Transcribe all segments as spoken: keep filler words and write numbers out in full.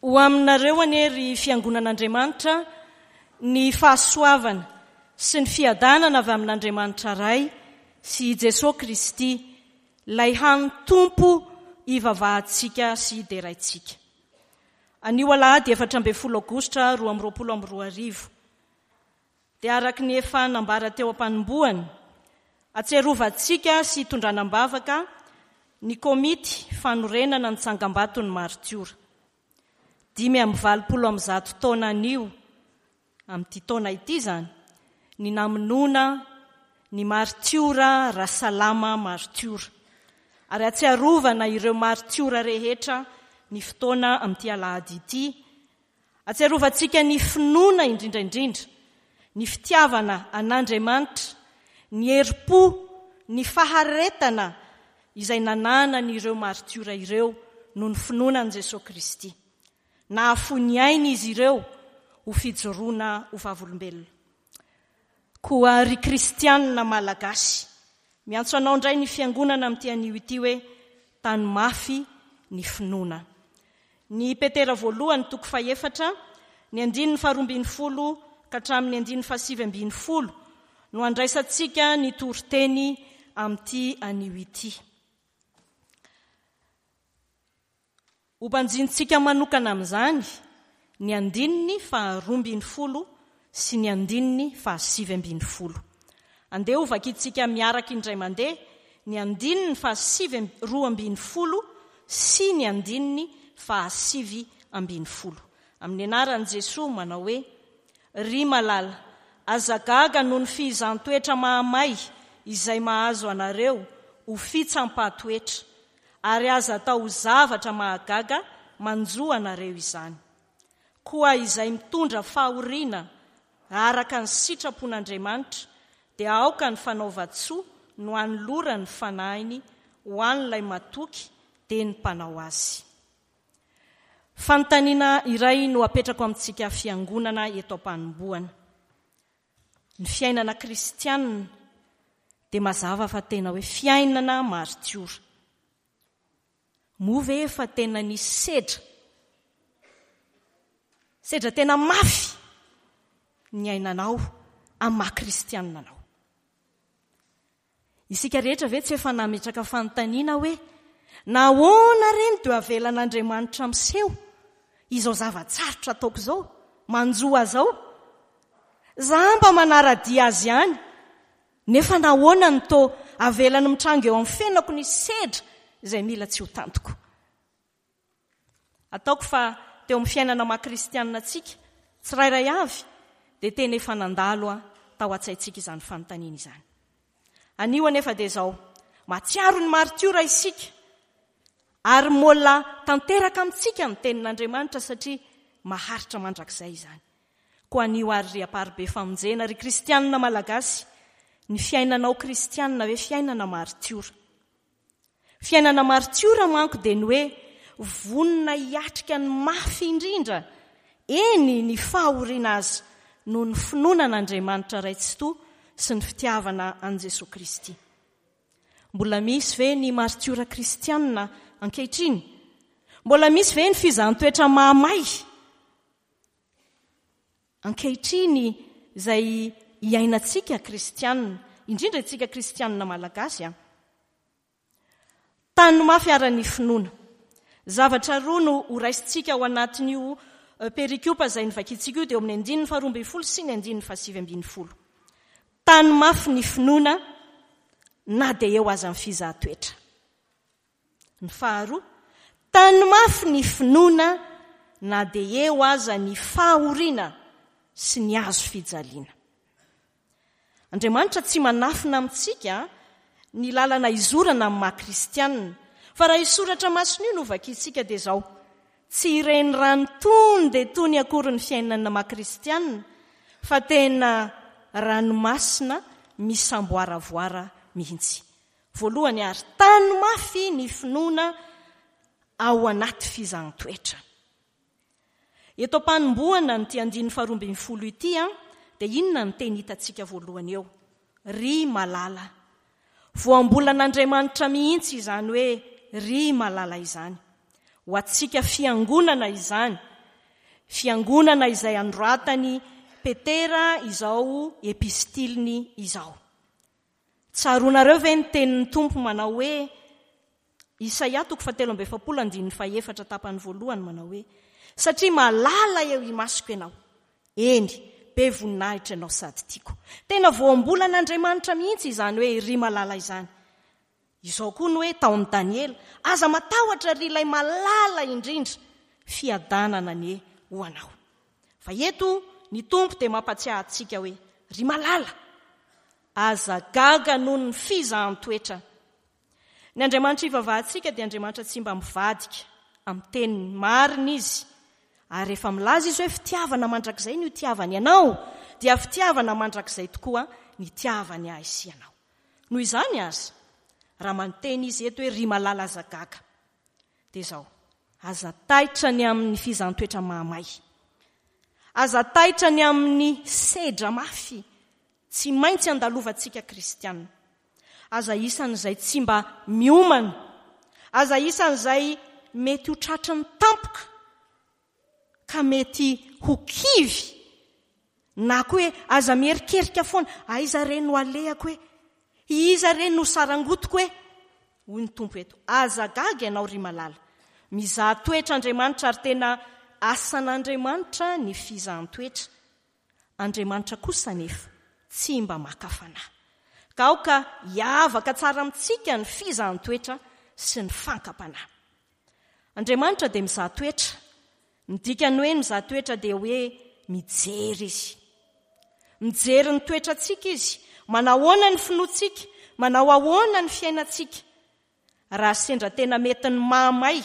Ho aminareo anie ry Fiangonan'Andriamanitra ny fahasoavana sy ny fiadanana avy amin'Andriamanitra Ray sy i Jesoa Kristy, ilay hany Tompo ivavahantsika sy deraintsika. Anio alahady efatra ambin'ny folo aogositra roa amby roapolo amby roa arivo dia araka ny efa nambara teo am-panombohana, atsiarovantsika sy itondrana am-bavaka ny komity fanorenana ny tsangambaton'ny maritiora. Dimy amby valopolo amby zato taona anio, amin'ity taona ity izany, ny namonoana ny maritiora Rasalama maritiora. Ary atsiarovana ireo maritiora rehetra ny fotoana amin'ity alahady ity. Atsiarovantsika ny finoana indrindra indrindra, ny fitiavana an'Andriamanitra, ny herim-po, ny faharetana izay nananan'ireo maritiora ireo noho ny finoana an'i Jesoa Kristy. Nahafoy ny ainy izy ireo ho fijoroana ho vavolombelona. Koa ry kristianina malagasy, miantso anao indray ny fiangonana amin'ity anio ity hoe tany mafy ny finoana. Ny Petera voalohany toko fahefatra, ny andininy faharoa ambin'ny folo ka hatramin'ny andininy fahasivy ambin'ny folo no andraisantsika ny toriteny amin'ity anio ity. Hobanjintsika manokana amin'izany ny andininy faharoa ambin'ny folo sy ny andininy fahasivy ambin'ny folo. Andeha hovakintsika miaraka indray mandeha ny andininy fahasivy roa ambin'ny folo sy ny andininy fahasivy ambin'ny folo. Amin'ny anaran'i Jesoa manao hoe, Ry malala, aza gaga noho ny fihizan-toetra mahamay izay mahazo anareo ho fitsampahatoetra, ary aza atao ho zavatra mahagaga manjo anareo izany. Koa izay mitondra fahoriana araka ny sitrapon'Andriamanitra dia aoka ny fanaovan-tsoa no hanolorany ny fanahiny ho an'ilay matoky dia ny mpanao azy. Fanontaniana iray no apetrako amintsika fiangonana eto am-panombohana. Ny fiainana kristianina dia mazava fa tena hoe fiainana maritiora. Moa ve efa tena nisy sedra? Sedra tena mafy ny ainanao amin'ny maha kristianina anao. Isika rehetra ve tsy efa nametraka fanontaniana hoe nahoana re no dia avelan'Andriamanitra miseho izao zava-tsarotra ataoko izao, manjo azy izao? Za mba manara-dia azy ihany, nefa nahoana no toa avelany mitranga eo amin'ny fiainako ny sedra izay mila tsy ho tantiko? Ataoko fa teo amin'ny fiainana maha kristianina antsika tsirairay avy dia tena efa nandalo tao an-tsaintsika izany fanontaniana izany. Anio anefa dia izao, mahatsiaro ny maritiora isika ary mbola tanteraka amintsika ny tenin'Andriamanitra satria maharitra mandrakizay izany. Koa anio ary ry Amparibe Famonjena, ry kristianina malagasy, ny fiainanao kristianina hoe fiainana maritiora. Fiainana maritiora manko dia ny hoe vonona hiatrika ny mafy indrindra, eny ny fahoriana azy, noho ny finoana an'Andriamanitra Ray Tsitoha sy ny fitiavana an'i Jesoa Kristy. Mbola misy ve ny maritiora kristianina ankehitriny? Mbola misy ve ny fizahan-toetra mahamay ankehitriny izay iainantsika kristianina, indrindra isika kristianina malagasy? A? Tany mafy ara ny finoana. Zavatra roa no horaisintsika ao anatin'io perikopa izay novakintsika io, dia eo amin'ny andininy faharoa ambin'ny folo sy ny andininy fahasivy ambin'ny folo. Tany mafy ny finoana na dia eo aza ny fizahan-toetra. Ny faharoa, tany mafy ny finoana na dia eo aza ny fahoriana sy ny hazo fijaliana. Andriamanitra tsy manafina amintsika ny lalana izorana amin'ny maha kristianina. Fa raha io soratra masina io no vakintsika dia izao, tsy ireny rano tony dia tony akory ny fiainana maha kristianina, fa tena ranomasina misamboaravoara mihitsy. Voalohany ary, tany mafy ny finoana ao anaty fizahan-toetra. Eto am-panombohana an'ity andininy faharoa ambin'ny folo ity, dia inona ny teny hitantsika voalohany eo? Ry malala. Voambolan'Andriamanitra mihitsy izany hoe ry malala izany. Ho antsika fiangonana izany. Fiangonana izay anoratan'i Petera izao epistiliny izao. Tsaroanareo ve ny tenin'ny Tompo manao hoe, Isaia toko fahatelo amby efapolo andininy fahefatra tapany voalohany manao hoe, satria malala eo imasoko ianao, eny, be voninahitra ianao sady tiako. Tena voambolan'Andriamanitra mihitsy izany hoe ry malala izany. Izao koa ny hoe tao amin'i Daniela, aza matahotra ry ilay malala indrindra, fiadanana anie ho anao. Fa eto ny Tompo dia mampatsiahy antsika hoe, ry malala, aza gaga noho ny fizahan-toetra. Ny Andriamanitra ivavahantsika dia Andriamanitra tsy mba mivadika amin'ny teniny, marina izy. Ary rehefa milaza izy hoe fitiavana mandrakizay no itiavany anao, dia fitiavana mandrakizay tokoa ny itiavany ahy sy ianao. Noho izany aza, raha manonteny izy eto hoe ry malala aza gaga, dia izao, aza taitra ny amin'ny fizahan-toetra mahamay. Aza taitra ny amin'ny sedra mafy tsy maintsy andalovantsika kristianina. Aza isan'izay tsy mba miomana. Aza isan'izay mety ho tratry ny tampoka ka mety ho kivy. Na koa hoe aza mierikerika foana, aiza re no alehako hoe, iza re no sarangotiko hoe. Hoy ny Tompo eto, aza gaga ianao ry malala. Mizaha toetra Andriamanitra ary tena asan'Andriamanitra ny fizahan-toetra. Andriamanitra kosa nefa tsy mba maka fanahy. Ka aoka hiavaka tsara amintsika ny fizahan-toetra sy ny fankam-panahy. Andriamanitra dia mizaha toetra. Ny dikany hoe mizaha toetra dia hoe mijery izy. Mijery ny toetrantsika izy. Manao ahoana ny finoantsika, manao ahoana ny fiainantsika. Raha sendra tena mety ny mahamay,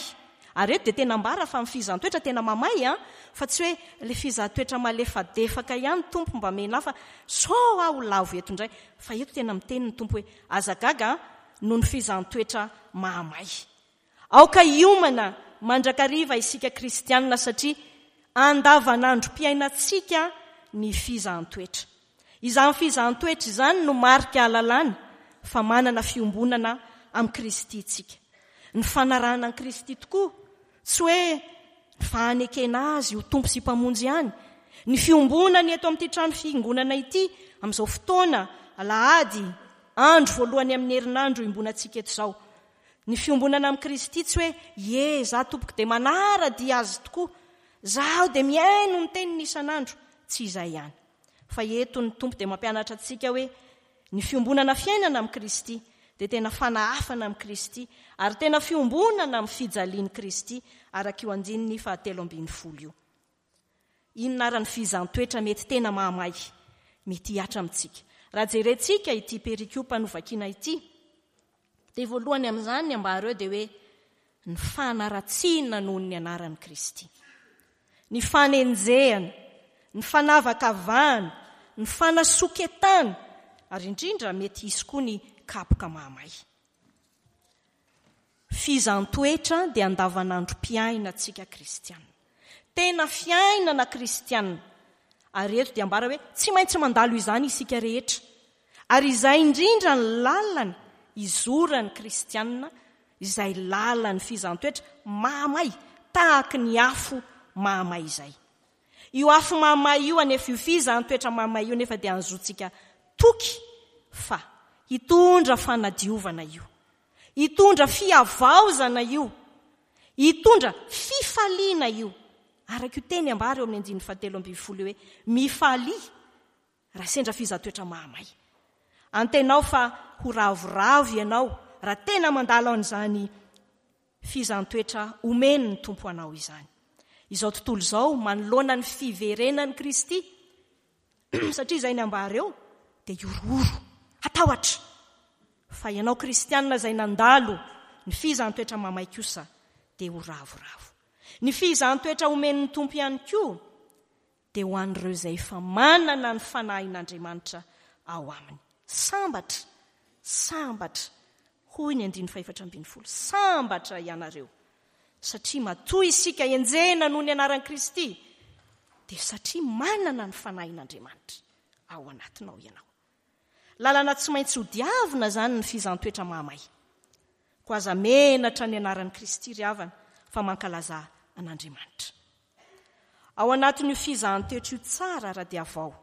ary eto dia tena ambara fa ny fizahan-toetra tena mahamay, an, fa tsy hoe le fizahan-toetra malefadefaka ihany Tompo mba mena fa sao aho lavo eto indray, fa eto tena miteny ny Tompo hoe aza gaga noho ny fizahan-toetra mahamay. Aoka hiomana mandrakariva isika kristianina satria andavanandrom-piainantsika ny fizahan-toetra. Izany fizahan-toetra izany no marika ahalalana fa manana fiombonana amin'i Kristy tsika. Ny fanarahana an'i Kristy tokoa, tsy hoe ny fanekena azy ho Tompo sy Mpamonjy ihany. Ny fiombonany eto amin'ity trano fiangonana ity amin'izao fotoana alahady andro voalohany amin'ny herinandro iombonantsika eto izao. Ny fiombonana amin'i Kristy tsy hoe ye, za tompoko dia manara-dia azy tokoa, zaho dia mihaino ny teniny isan'andro, tsy izay ihany. Fa eto ny Tompo dia mampianatra antsika hoe ny fiombonana fiainana amin'i Kristy dia tena fanahafana amin'i Kristy ary tena fiombonana amin'ny fijalian'i Kristy araka io andininy fahatelo ambin'ny folo io. Inona ary ny fizahan-toetra mety tena mahamay mety hihatra amintsika? Raha jerentsika ity perikopa novakiana ity, dia voalohany amin'izany ny ambara eo dia hoe ny fanaratsiana noho ny anaran'i Kristy. Ny fanenjehana, ny fanavakavahana, ny fanasoketana, ary indrindra mety hisy koa ny kapoka mahamay. Fizahan-toetra dia andavanandrom-piainantsika kristianina. Tena fiainana kristianina. Ary eto dia ambara hoe tsy maintsy mandalo izany isika rehetra. Ary izay indrindra ny lalana izoran'ny kristianina, izay lalan'ny fizahan-toetra mahamay, tahaky ny afo mahamay izay. Io afo mahamay io anefa, io fizahan-toetra mahamay io nefa dia anzotsika toky fa hitondra fanadiovana io, hitondra fihavaozana io, hitondra fifaliana io. Araka io teny ambara eo amin'ny andininy fahatelo ambin'ny folo io hoe mifalia raha sendra fizahan-toetra mahamay. Antenao fa ho ravoravo ianao raha tena mandalo an'izany fizahan-toetra omeny ny Tompo anao izany. Izao tontolo izao manoloana ny fiverenan'i Kristy, satria izay ny ambara eo dia horohoro, hatahotra. Fa ianao kristianina izay nandalo ny fizahan-toetra mahamay kosa dia ho ravoravo. Ny fizahan-toetra omen'ny Tompo ihany koa dia ho an'ireo izay efa manana ny fanahin'Andriamanitra ao aminy. Sambatra, sambatra, hoy ny andininy fahefatra ambin'ny folo, sambatra ianareo, satria matoa isika enjehina noho ny anaran'i Kristy, dia satria manana ny fanahin'Andriamanitra ao anatinao ianao. Lalana tsy maintsy hodiavina izany ny fizahan-toetra mahamay. Koa aza menatra ny anaran'i Kristy ry havana, fa mankalaza an'Andriamanitra. Ao anatin'io fizahan-toetra io tsara raha dia avao.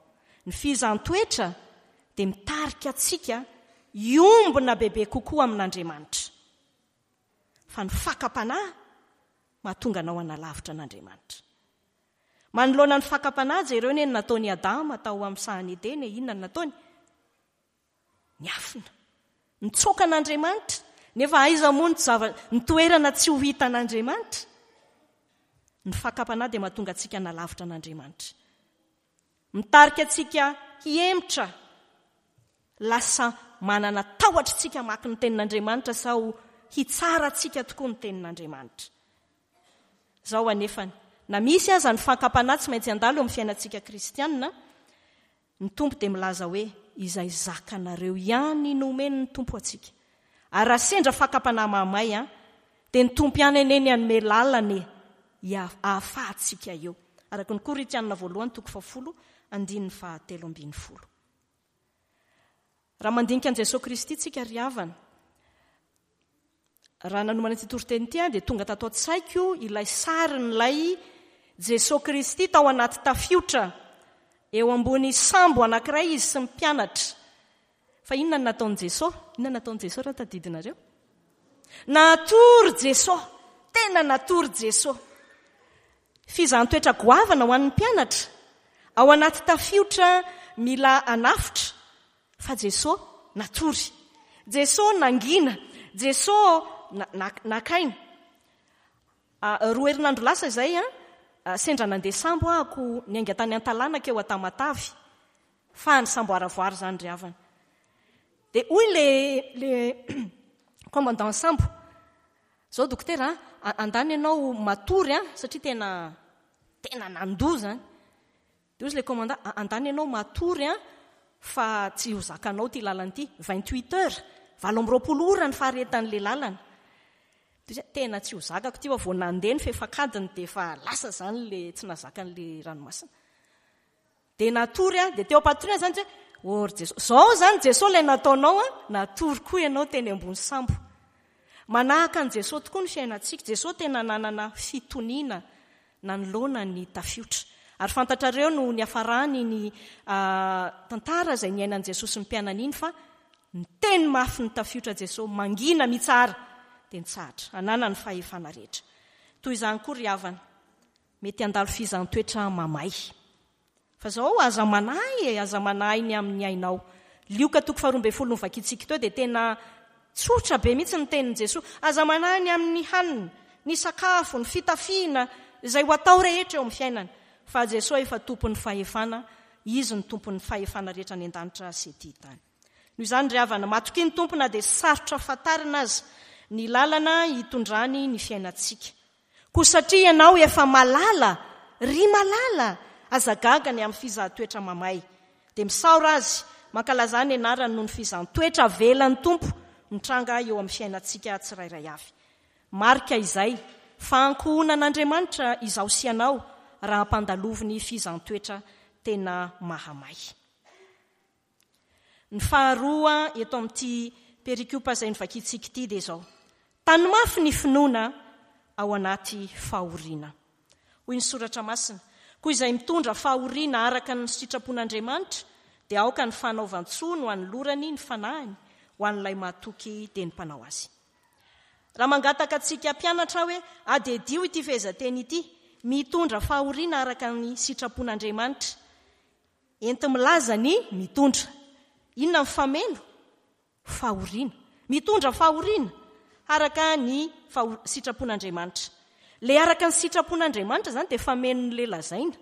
Ny fizahan-toetra dia mitarika antsika hiombona bebe kokoa amin'Andriamanitra. Fa ny fakam-panahy mahatonga anao hanalavitra an'Andriamanitra. Manoloana ny fakam-panahy, jereo ny nataon'i Adama tao amin'ny sahan'i Edena, inona no nataony? Niafina. Nitsoaka an'Andriamanitra. Nefa aiza moa ny zava-, ny toerana tsy ho hitan'Andriamanitra? Ny fakam-panahy dia mahatonga antsika hanalavitra an'Andriamanitra. Mitarika antsika hihemotra. Lasa manana tahotra tsika hamaky ny tenin'Andriamanitra sao hitsara antsika tokoa ny tenin'Andriamanitra. Izao anefany, na misy aza ny fakam-panahy tsy maintsy handalo eo amin'ny fiainantsika kristianina, ny Tompo dia milaza hoe izay zakanareo ihany no omen'ny Tompo antsika. Ary raha sendra fakam-panahy mahamay, an, dia ny Tompo ihany anie ny hanome lalana e, ahafahantsika eo. Araka ny Korintianina voalohany toko fahafolo andininy fahatelo ambin'ny folo. Raha mandinika an'i Jesoa Kristy tsika ry havana, raha nanomana ity toriteny ity aho dia tonga tato an-tsaiko ilay sarin'ilay Jesoa Kristy tao anaty tafiotra eo ambony sambo anankiray izy sy ny mpianatra. Fa inona no nataon'i Jesoa? Inona no nataon'i Jesoa raha tadidinareo? Natory Jesoa, tena natory Jesoa. Fizahan-toetra goavana ho an'ny mpianatra. Ao anaty tafiotra mila anafotra, fa Jesoa natory. Jesoa nangina, Jesoa na-, na-, nakaina. Ah, roa herinandro lasa izay, ah, sendra nandeha sambo ahako niainga tany Antalàna keo Tamatavy. Fa ny sambo aravoara izany ry havana. Dia hoy le, le commandant sambo, zao dokotera, ah, andany ianao matory, ah, satria tena, tena nandoa zany. Dia hoy le commandant, ah, andany ianao matory, ah, fa tsy ho zakanao ty lalana ity, vingt-huit heures, valo amby roapolo ora ny faharetan'le lalana. Dia hoy, tena tsy ho zakako ty fa vao nandeha ny fefakadiny dia efa lasa zany le tsy nazakan'le ranomasina. Dia natory aho, dia teo am-patoriana zany hoe, oh, ry Jesoa, zao zany Jesoa ilay nataonao, ah, natory koa ianao teny ambony sambo. Manahaka an'i Jesoa tokoa ny fiainantsika. Jesoa tena nanana fitoniana nanoloana ny tafiotra. Ary fantatrareo no niafarany ny, ah, tantara izay niainan'i Jesoa sy ny mpianany iny fa niteny mafy ny tafiotra Jesoa, mangina mitsara, dia nitsahatra, ananany fahefana rehetra. Toy izany koa ry havana, mety handalo fizahàn-toetra mamay. Fa zao aza manahy e, aza manahy ny amin'ny ainao. Lioka toko faharoa ambin'ny folo novakintsika teo dia tena tsotra be mihitsy ny tenin'i Jesoa. Aza manahy ny amin'ny hanina, ny sakafo, ny fitafiana, izay ho atao rehetra eo amin'ny fiainana. Fa Jesoa efa tompon'ny fahefana, izy no tompon'ny fahefana rehetra any an-danitra sy ety tany. Noho izany ry havana, matokia ny Tompo na dia sarotra fantarina aza ny lalana hitondrany ny fiainantsika. Koa satria ianao efa malala, ry malala, aza gaga ny amin'ny fizahan-toetra mamay. Dia misaora azy, mankalaza ny anarany noho ny fizahan-toetra avelan'ny Tompo mitranga eo amin'ny fiainantsika tsirairay avy. Marika izay fa ankohonan'Andriamanitra izaho sy ianao raha ampandaloviny ny fizahan-toetra tena mahamay. Ny faharoa eto amin'ity perikopa izay novakintsika ity dia izao. Tany mafy ny finoana ao anaty fahoriana. Hoy ny soratra masina, koa izay mitondra fahoriana araka ny sitrapon'Andriamanitra dia aoka ny fanaovan-tsoa no anolorany ny fanahiny ho an'ilay mahatoky dia ny mpanao azy. Raha mangataka antsika mpianatra aho hoe adiadio ity fehezanteny ity, mitondra fahoriana araka ny sitrapon'Andriamanitra, enti-milaza ny mitondra. Inona ny fameno? Fahoriana. Mitondra fahoriana araka ny faho-, sitrapon'Andriamanitra. Le araka ny sitrapon'Andriamanitra zany dia famenon'le lazaina.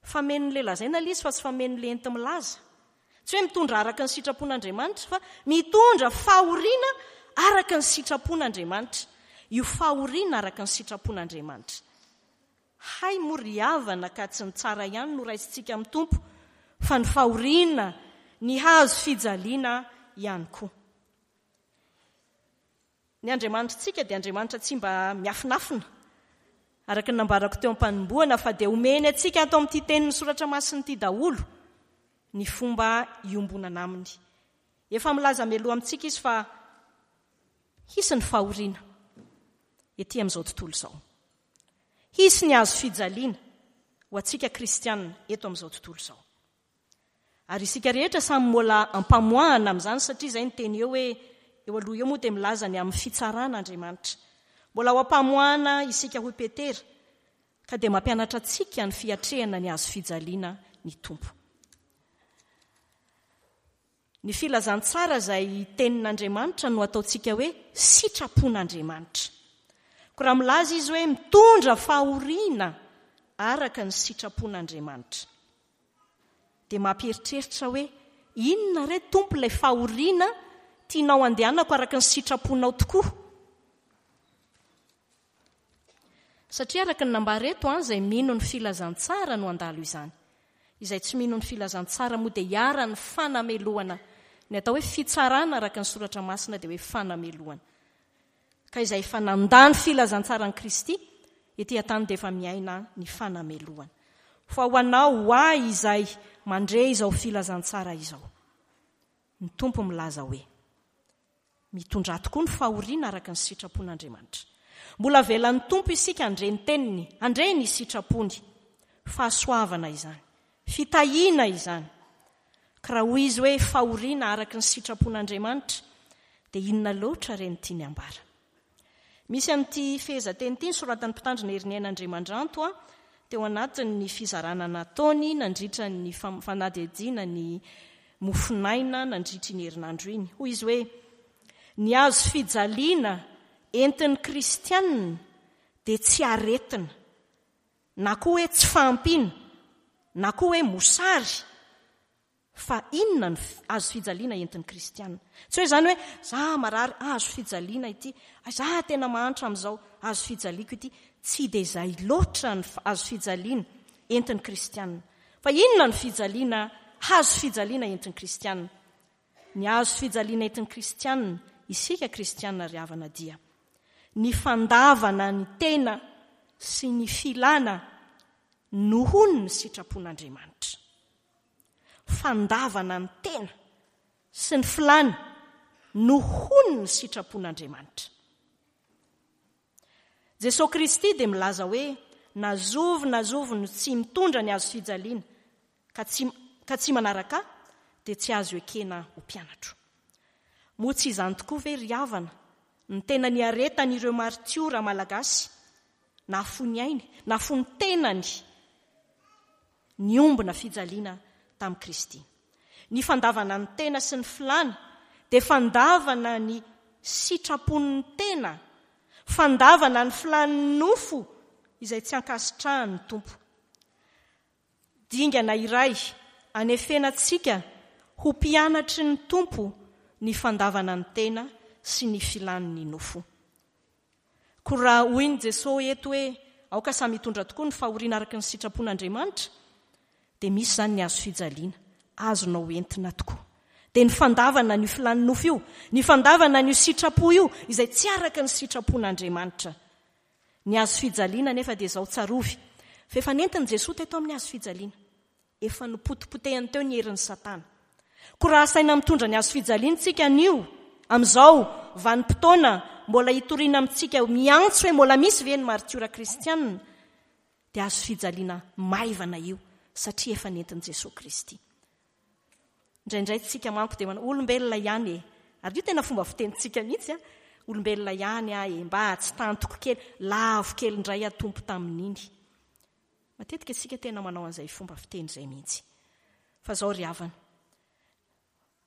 Famenon'le lazaina ilay izy fa tsy famenon'le enti-milaza. Tsy hoe mitondra araka ny sitrapon'Andriamanitra fa mitondra fahoriana araka ny sitrapon'Andriamanitra. Io fahoriana araka ny sitrapon'Andriamanitra. Hay moa ry havana ka tsy ny tsara ihany no raisintsika amin'ny Tompo fa ny fahoriana, ny hazo fijaliana ihany koa. Ny Andriamanitritsika dia Andriamanitra tsy mba miafinafina, araka ny nambarako teo am-panombohana, fa dia omeny antsika ato amin'ity tenin'ny soratra masina ity daholo ny fomba iombonana aminy. Efa milaza mialoha amintsika izy fa hisy ny fahoriana ety amin'izao tontolo izao. Hisy ny hazo fijaliana. ho antsika kristianina eto amin'izao tontolo izao. Ary isika rehetra samy mbola ampamoahana amin'izany, satria izay ny teny eo hoe eo aloha eo moa dia milaza ny amin'ny fitsarana Andriamanitra. Mbola ho ampamoahana isika hoy Petera, ka dia mampianatra antsika ny fiatrehana ny hazo fijaliana ny Tompo. Ny filazantsara izay tenin'Andriamanitra no ataontsika hoe sitrapon'Andriamanitra. Koa raha milaza izy hoe mitondra fahoriana araka ny sitrapon'Andriamanitra, dia mampieritreritra hoe inona re Tompo ilay fahoriana tianao andehanako araka ny sitraponao tokoa? Satria araka ny nambara eto, izay mino ny filazantsara no handalo izany. Izay tsy mino ny filazantsara moa dia hiharan'ny fanamelohana. Ny atao hoe fitsarana araka ny soratra masina dia hoe fanamelohana. Ka izay efa nandà ny filazantsaran'i Kristy ety an-tany dia efa miaina ny fanamelohana. Fa ho anao, ho ahy izay mandre izao filazantsara izao, ny Tompo milaza hoe mitondrà tokoa ny fahoriana araka ny sitrapon'Andriamanitra. Mbola avelan'ny Tompo isika handre ny teniny, handre ny sitrapony. Fahasoavana izany, fitahiana izany. Ka raha hoy izy hoe fahoriana araka ny sitrapon'Andriamanitra, dia inona loatra re ny tiany ambara? Misy amin'ity fehezanteny ity ny soratan'ny mpitandrina Heriniaina Andriamandranto teo anatin'ny fizarana nataony nandritra ny fanadihadiana ny mofonaina nandritra iny herinandro iny. Hoy izy hoe ny hazo fijaliana entin'ny kristianina dia tsy aretina, na koa hoe tsy fahampiana, na koa hoe mosary. Fa inona ny hazo fijaliana entin'ny kristianina? Tsy hoe izany hoe za marary, hazo fijaliana ity, za tena mahantra amin'izao, hazo fijaliako ity. Tsy dia izay loatra ny hazo fijaliana entin'ny kristianina. Fa inona ny fijaliana, hazo fijaliana entin'ny kristianina? Ny hazo fijaliana entin'ny kristianina, isika kristianina ry havana, dia ny fandavana ny tena sy ny filana noho ny sitrapon'Andriamanitra. Fandavana ny tena sy ny filana noho ny sitrapon'Andriamanitra. Jesosy Kristy dia milaza hoe na zovy na zovy no tsy mitondra ny hazo fijaliana ka tsy, ka tsy manaraka dia tsy azo ekena ho mpianatro. Moa tsy izany tokoa ve ry havana ny tena niaretan'ireo martiora malagasy nahafoy ny ainy, nahafoy ny tenany, niombona fijaliana tamin'i Kristy? Ny fandavana ny tena sy ny filana dia fandavana ny sitrapon'ny tena, fandavana ny filan'ny nofo izay tsy ankasitrahan'ny Tompo. Dingana iray anefenantsika ho mpianatry ny Tompo ny fandavana ny tena sy ny filan'ny nofo. Koa raha hoy ny Jesosy eto hoe aoka samy hitondra tokoa ny fahoriana araka ny sitrapon'Andriamanitra, dia misy izany ny hazo fijaliana azonao entina tokoa. Dia ny fandavana ny filan'ny nofo io, ny fandavana ny sitrapo io izay tsy araka ny sitrapon'Andriamanitra. Ny hazo fijaliana nefa dia izao tsarovy fa efa nentin'i Jesosy teto amin'ny hazo fijaliana, efa nopotipotehany teo ny herin'ny Satana. Koa raha asaina mitondra ny hazo fijaliana tsika anio, amin'izao vanim-potoana mbola hitoriana amintsika miantso hoe mbola misy ve ny martiora kristianina, dia hazo fijaliana maivana io satria efa nentin'i Jesosy Kristy. Indraindray tsika manko dia manao olombelona ihany e, ary io tena fomba fitenintsika mihitsy a, olombelona ihany a e, mba tsy tantiko kely, lavo kely indray aho Tompo tamin'iny. Matetika tsika tena manao an'izay fomba fiteny izay mihitsy. Fa zao ry havana,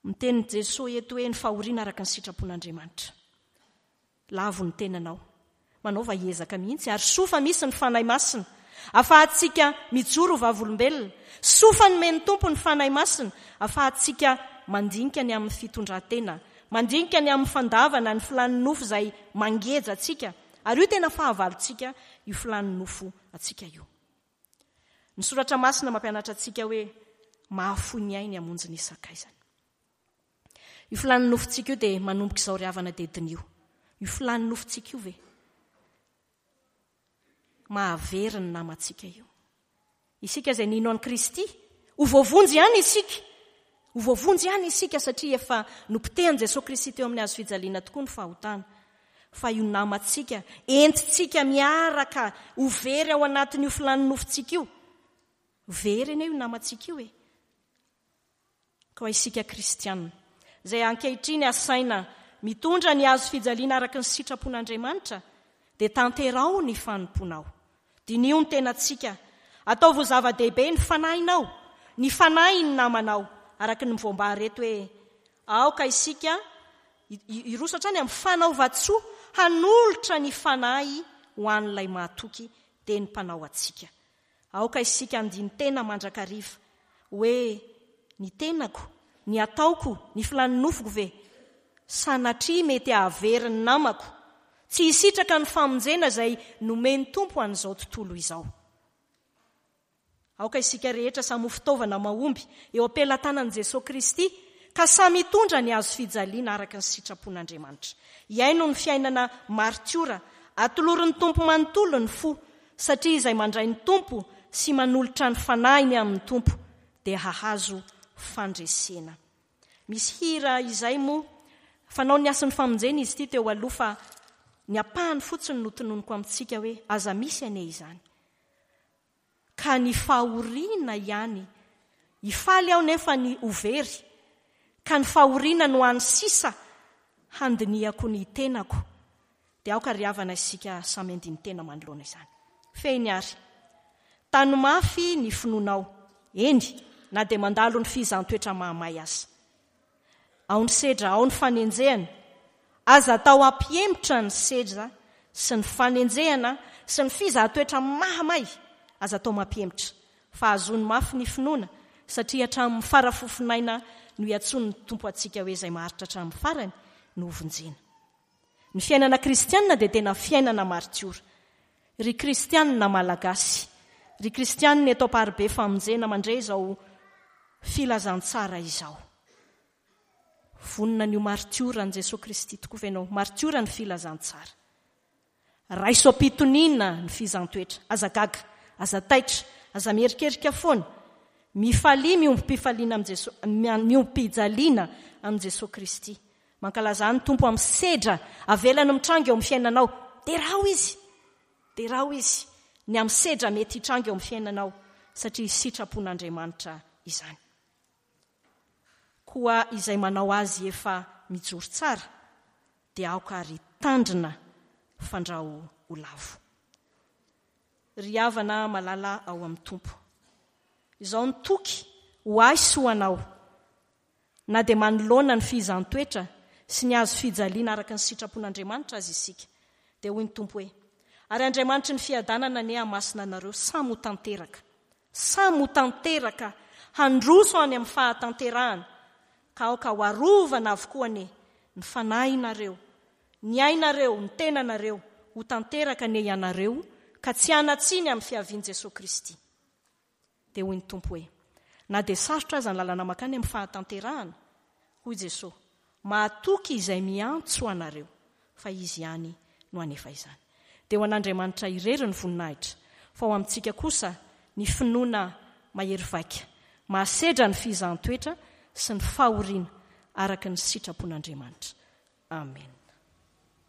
miteny Jesosy eto hoe ny fahoriana araka ny sitrapon'Andriamanitra. Lavo ny tenanao, manaova ezaka mihitsy, ary soa fa misy ny Fanahy Masina afahantsika mijoro vavolombelona. Soa fa nomen'ny Tompo ny Fanahy Masina afahantsika mandinika ny amin'ny fitondran-tena, mandinika ny amin'ny fandavana ny filan'ny nofo izay mangeja antsika, ary io tena fahavalontsika io filan'ny nofo antsika io. Ny soratra masina mampianatra antsika hoe mahafoy ny ainy hamonjy ny sakaizany. Io filan'ny nofontsika io dia manomboka izao ry havana dia diniho. Io filan'ny nofontsika io ve mahavery ny namantsika io? Isika izay nino an'i Kristy, ho voavonjy ihany isika. Ho voavonjy ihany isika satria efa nopotehan'i Jesosy Kristy teo amin'ny hazo fijaliana tokoa ny fahotana. Fa io namantsika entintsika miaraka ho very ao anatin'io filan'ny nofontsika io, Very anie io namantsika io e. Koa isika kristianina, izay ankehitriny asaina mitondra ny hazo fijaliana araka ny sitrapon'Andriamanitra, dia tanteraho ny fanompoanao. Diniho ny tenantsika. Ataovy ho zava-dehibe ny fanahinao, ny fanahin'ny namanao, araka ny voambara eto hoe aoka isika hiroso hatrany amin'ny fanaovan-tsoa hanolotra ny fanahy ho an'ilay mahatoky, dia ny mpanao antsika. Aoka isika handini-tena mandrakariva hoe ny tenako, ny ataoko, ny filan'ny nofoko ve? Sanatria mety hahavery ny namako, tsy hisitraka ny famonjena izay nomen'ny Tompo an'izao tontolo izao. Aoka isika rehetra samy ho fitaovana mahomby eo am-pelatanan'i Jesoa Kristy, ka samy hitondra ny hazo fijaliana araka ny sitrapon'Andriamanitra. Hiaino ny fiainana martiora, atolorin'ny Tompo manontolo ny fo, satria izay mandray ny Tompo sy manolotra ny fanahiny amin'ny Tompo dia hahazo fandresena. Misy hira izay moa fanao ny hasin'ny famonjena izy ity teo aloha, fa ny ampahany fotsiny no tononiko amintsika hoe aza misy anie izany. Ka ny fahoriana ihany, hifaly aho nefa ny ho very, ka ny fahoriana no hany sisa handinihako ny tenako. Dia aoka ry havana isika samy handini-tena manoloana izany. Fehiny ary, tano mafy ny finoanao, eny, na dia mandalo ny fihizan-toetra mahamay aza. Ao ny sedra, ao ny fanenjehana. Aza atao hampihemotra ny sedra sy ny fanenjehana sy ny fizahan-toetra mahamay. Aza atao mampihemotra, fa azony mafy ny finoana, satria hatramin'ny farafofonaina no iantsoan'ny Tompo antsika hoe izay maharitra hatramin'ny farany no hovonjena. Ny fiainana kristianina dia tena fiainana martiora. Ry kristianina malagasy, ry kristianina eto Amparibe famonjena mandre izao filazantsara izao. Vonona ny ho martiora an'i Jesoa Kristy tokoa ve ianao? Martiora ny filazantsara. Raiso am-pitoniana ny fizan-toetra. Aza gaga, aza taitra, aza mierikerika foana. Mifalia miombom-pifaliana amin'i Jesoa, miombom-pijaliana amin'i Jesoa Kristy. Mankalaza ny Tompo amin'ny sedra avelany mitranga eo amin'ny fiainanao. Derao izy, derao izy ny amin'ny sedra mety hitranga eo amin'ny fiainanao, satria sitrapon'Andriamanitra izany. Koa izay manao azy efa mijoro tsara, dia aoka ary tandrina fandrao ho lavo. Ry havana malala ao amin'ny Tompo, izao ny toky ho ahy sy ho anao, na dia manoloana ny fihizan-toetra sy ny hazo fijaliana araka ny sitrapon'Andriamanitra azy isika, dia hoy ny Tompo hoe, ary Andriamanitry ny fiadanana anie hamasina anareo samy ho tanteraka, samy ho tanteraka, handroso any amin'ny fahatanterahana, ka aoka ho arovana avokoa anie ny fanahinareo, ny ainareo, ny tenanareo, ho tanteraka anie ianareo, ka tsy hanan-tsiny amin'ny fiavian'i Jesoa Kristy. Dia hoy ny Tompo hoe, na dia sarotra aza ny lalana mankany amin'ny fahatanterahana, hoy Jesoa, mahatoky izay miantso anareo, fa izy ihany no hanefa izany. Dia ho an'Andriamanitra irery ny voninahitra, fa ho amintsika kosa ny finoana mahery vaika, mahasedra ny fihizan-toetra sy ny fahoriana araka ny sitrapon'Andriamanitra. Amen.